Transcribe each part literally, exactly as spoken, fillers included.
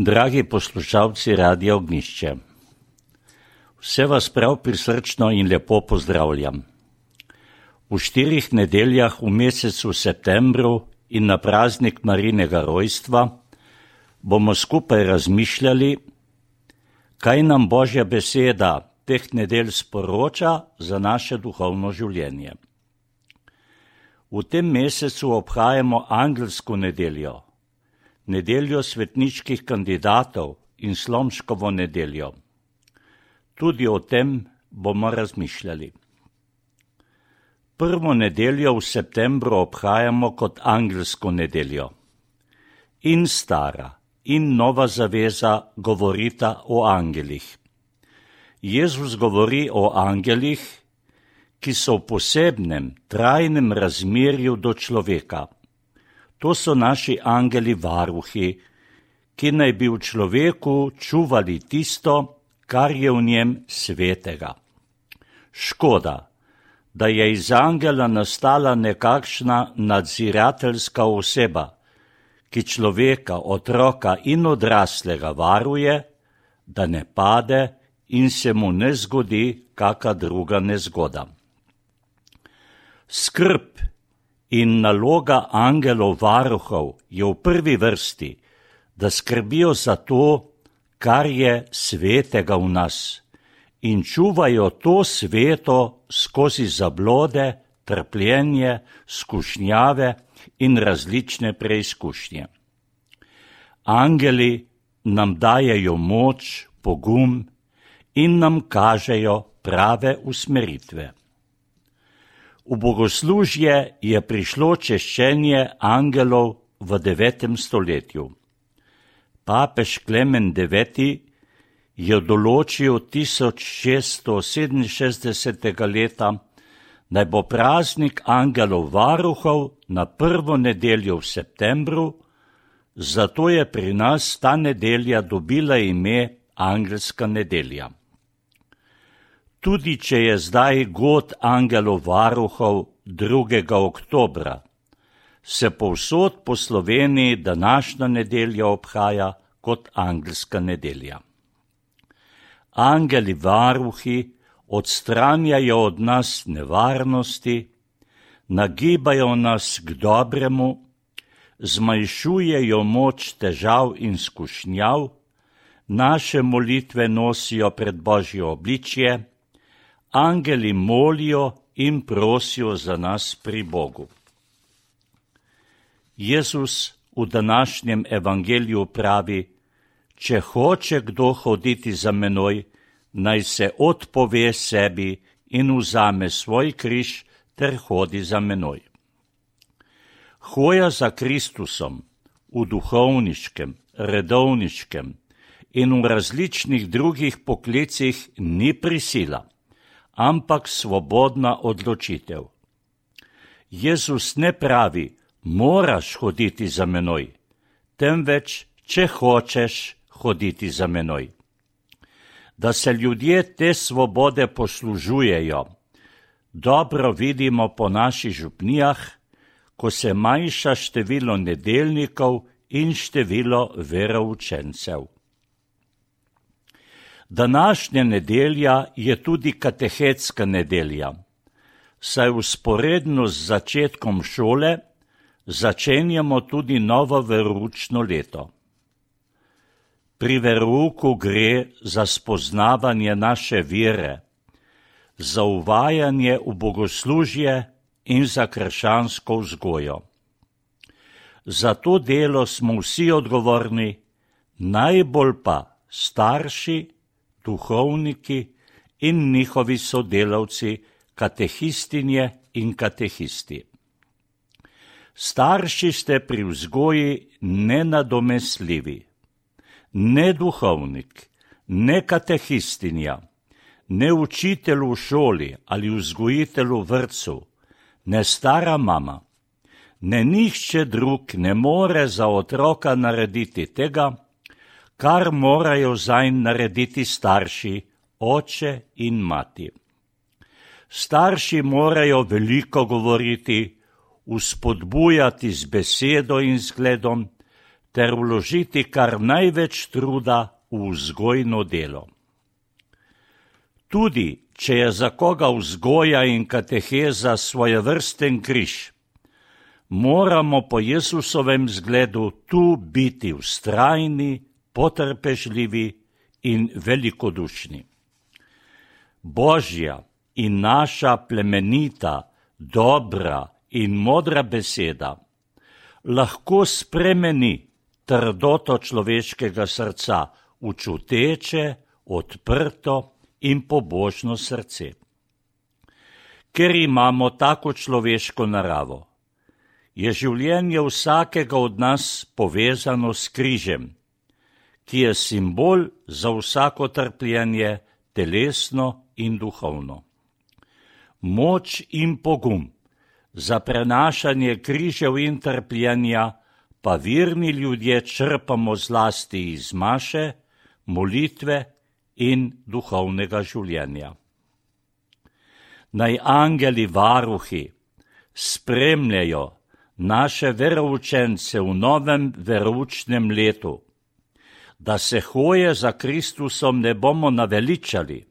Dragi poslušalci Radia Ognjišče, vse vas prav prisrčno in lepo pozdravljam. V štirih nedeljah v mesecu septembru in na praznik Marijinega rojstva bomo skupaj razmišljali, kaj nam Božja beseda teh nedelj sporoča za naše duhovno življenje. V tem mesecu obhajamo angelsko nedeljo, nedeljo svetniških kandidatov in Slomškovo nedeljo. Tudi o tem bomo razmišljali. Prvo nedeljo v septembru obhajamo kot angelsko nedeljo. In stara in nova zaveza govorita o angelih. Jezus govori o angelih, ki so v posebnem, trajnem razmerju do človeka. To so naši angeli varuhi, ki naj bi v človeku čuvali tisto, kar je v njem svetega. Škoda, da je iz angela nastala nekakšna nadzirateljska oseba, ki človeka, otroka in odraslega varuje, da ne pade in se mu ne zgodi kaka druga nezgoda. Skrb in naloga angelov varuhov je v prvi vrsti, da skrbijo za to, kar je svetega v nas, in čuvajo to sveto skozi zablode, trpljenje, skušnjave in različne preizkušnje. Angeli nam dajejo moč, pogum in nam kažejo prave usmeritve. V bogoslužje je prišlo češčenje angelov v devetem stoletju. Papež Klemen deveti je določil tisoč šeststo sedeminšestdesetega leta, naj bo praznik angelov varuhov na prvo nedeljo v septembru, zato je pri nas ta nedelja dobila ime angelska nedelja. Tudi če je zdaj god angelov varuhov drugega oktobra, se povsod po Sloveniji današnja nedelja obhaja kot angelska nedelja. Angeli varuhi odstranjajo od nas nevarnosti, nagibajo nas k dobremu, zmanjšujejo moč težav in skušnjav, naše molitve nosijo pred Božje obličje, angeli molijo in prosijo za nas pri Bogu. Jezus v današnjem evangeliju pravi, če hoče kdo hoditi za menoj, naj se odpove sebi in vzame svoj križ ter hodi za menoj. Hoja za Kristusom v duhovniškem, redovniškem in v različnih drugih poklicih ni prisila, ampak svobodna odločitev. Jezus ne pravi, moraš hoditi za menoj, temveč, če hočeš hoditi za menoj. Da se ljudje te svobode poslužujejo, dobro vidimo po naših župnijah, ko se manjša število nedeljnikov in število veroučencev. Današnja nedelja je tudi katehetska nedelja, saj vzporedno z začetkom šole začenjamo tudi novo veroučno leto. Pri verouku gre za spoznavanje naše vere, za uvajanje v bogoslužje in za krščansko vzgojo. Za to delo smo vsi odgovorni, najbolj pa starši, duhovniki in njihovi sodelavci, katehistinje in katehisti. Starši ste pri vzgoji nenadomestljivi. Ne duhovnik, ne katehistinja, ne učitelj v šoli ali vzgojitelj v vrtcu, ne stara mama, ne nihče drug ne more za otroka narediti tega, kar morajo zanj narediti starši, oče in mati. Starši morajo veliko govoriti, vzpodbujati z besedo in zgledom, ter vložiti kar največ truda v vzgojno delo. Tudi, če je za koga vzgoja in kateheza svojevrsten križ, moramo po Jezusovem zgledu tu biti vztrajni, potrpežljivi in velikodušni. Božja in naša plemenita, dobra in modra beseda lahko spremeni trdoto človeškega srca v čuteče, odprto in pobožno srce. Ker imamo tako človeško naravo, je življenje vsakega od nas povezano s križem, ki je simbol za vsako trpljenje, telesno in duhovno. Moč in pogum za prenašanje križev in trpljenja pa verni ljudje črpamo zlasti iz maše, molitve in duhovnega življenja. Naj angeli varuhi spremljajo naše veroučence v novem veroučnem letu, da se hoje za Kristusom ne bomo naveličali,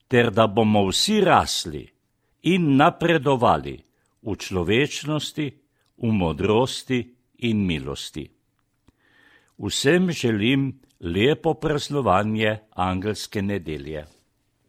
ter da bomo vsi rasli in napredovali v človečnosti, v modrosti in milosti. Vsem želim lepo praznovanje angelske nedelje.